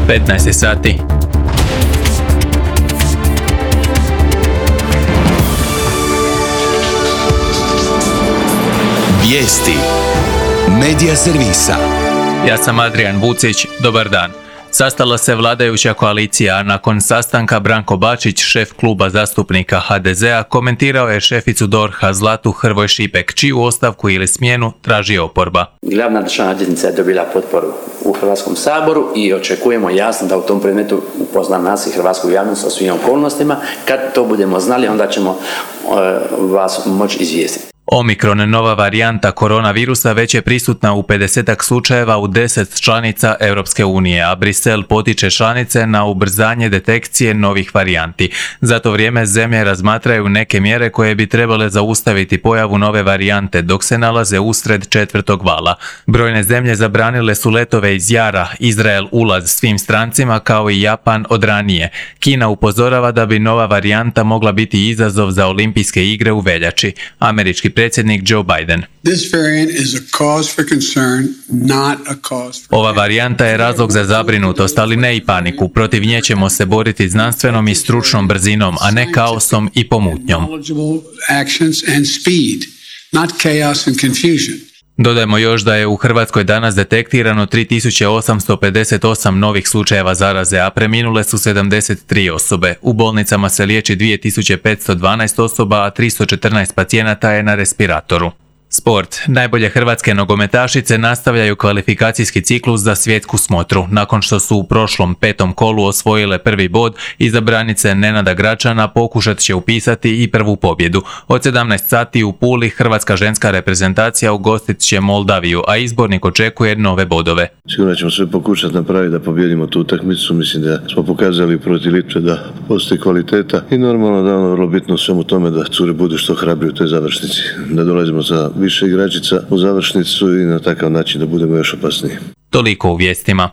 15 sati. Vijesti Medija servisa. Ja sam Adrian Vucić, dobar dan. Sastala se vladajuća koalicija, a nakon sastanka Branko Bačić, šef kluba zastupnika HDZ-a, komentirao je šeficu DORH-a Zlatu Hrvoj Šipek, čiju ostavku ili smjenu traži oporba. Glavna državna odvjetnica je dobila potporu u Hrvatskom saboru i očekujemo jasno da u tom predmetu upozna nas i hrvatsku javnost o svim okolnostima. Kad to budemo znali, onda ćemo vas moći izvijestiti. Omikron, nova varijanta koronavirusa, već je prisutna u 50 slučajeva u 10 članica Europske unije, a Brisel potiče članice na ubrzanje detekcije novih varijanti. Za to vrijeme zemlje razmatraju neke mjere koje bi trebale zaustaviti pojavu nove varijante dok se nalaze usred četvrtog vala. Brojne zemlje zabranile su letove iz jara, Izrael ulaz svim strancima kao i Japan od ranije. Kina upozorava da bi nova varijanta mogla biti izazov za olimpijske igre u veljači. Američki predsjednik Joe Biden. Ova varijanta je razlog za zabrinutost, ali ne i paniku. Protiv nje ćemo se boriti znanstvenom i stručnom brzinom, a ne kaosom i pomutnjom. Dodajmo još da je u Hrvatskoj danas detektirano 3858 novih slučajeva zaraze, a preminule su 73 osobe. U bolnicama se liječi 2512 osoba, a 314 pacijenata je na respiratoru. Sport. Najbolje hrvatske nogometašice nastavljaju kvalifikacijski ciklus za svjetsku smotru. Nakon što su u prošlom 5. kolu osvojile prvi bod, izabranice Nenada Gračana pokušat će upisati i prvu pobjedu. Od 17 sati u Puli hrvatska ženska reprezentacija ugostit će Moldaviju, a izbornik očekuje nove bodove. Sigurno ćemo sve pokušati napraviti da pobjedimo tu utakmicu. Mislim da smo pokazali protiv Litve da postoji kvaliteta i normalno da je vrlo bitno u svemu tome da cure budu što hrabrije u toj završnici. Da dolazimo sa više igračica u završnicu i na takav način da budemo još opasniji. Toliko u vijestima.